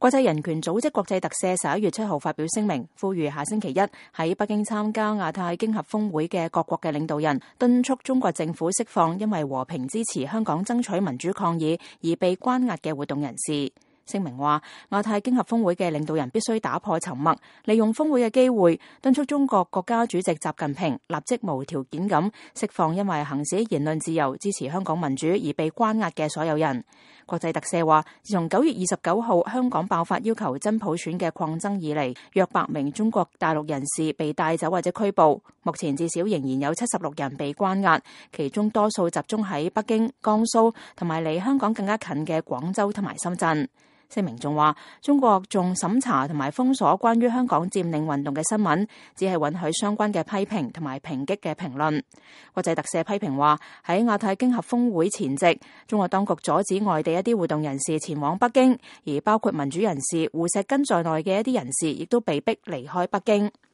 國際人權組織國際特赦11月7號發表聲明，呼籲下星期一喺北京參加亞太經合峰會嘅各國嘅領導人，敦促中國政府釋放因為和平支持香港爭取民主抗議而被關押嘅活動人士。聲明話，亞太經合峰會嘅領導人必須打破沉默，利用峰會嘅機會，敦促中國國家主席習近平立即無條件咁釋放因為行使言論自由、支持香港民主而被關押嘅所有人。國際特赦話，自從9月29號香港爆發要求真普選嘅抗爭以嚟，約100名中國大陸人士被帶走或者拘捕，目前至少仍然有76人被關押，其中多數集中喺北京、江蘇同埋離香港更加近嘅廣州同埋深圳。聲明仲話，中國仲審查同埋封鎖關於香港佔領運動嘅新聞，只係允許相關嘅批評同埋抨擊嘅評論。國際特赦批評話，喺亞太經合峰會前夕，中國當局阻止外地一啲活動人士前往北京，而包括民主人士胡錫根在內嘅一啲人士亦都被逼離開北京。